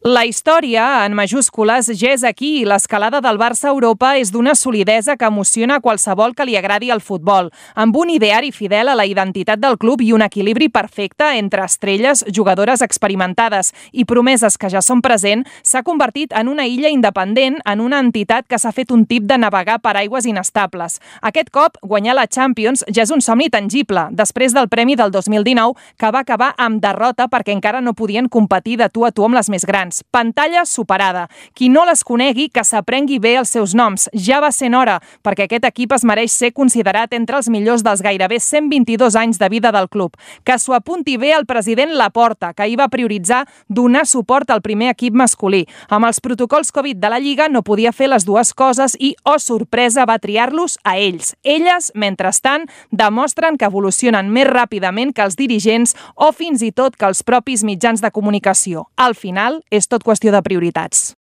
La història, en majúscules, ja és aquí i l'escalada del Barça a Europa és d'una solidesa que emociona qualsevol que li agradi el futbol, amb un ideari fidel a la identitat del club i un equilibri perfecte entre estrelles, jugadores experimentades i promeses que ja són present, s'ha convertit en una illa independent, en una entitat que s'ha fet un tip de navegar per aigües inestables. Aquest cop, guanyar la Champions ja és un somni tangible, després del premi del 2019, que va acabar amb derrota perquè encara no podien competir de tu a tu amb les més grans. Pantalla superada. Qui no les conegui, que s'aprengui bé els seus noms. Ja va sent hora, perquè aquest equip es mereix ser considerat entre els millors dels gairebé 122 anys de vida del club. Que s'ho apunti bé el president Laporta, que ahir va prioritzar donar suport al primer equip masculí. Amb els protocols Covid de la Lliga no podia fer les dues coses i, oh sorpresa, va triar-los a ells. Elles, mentrestant, demostren que evolucionen més ràpidament que els dirigents o fins i tot que els propis mitjans de comunicació. Al final, és tot qüestió de prioritats.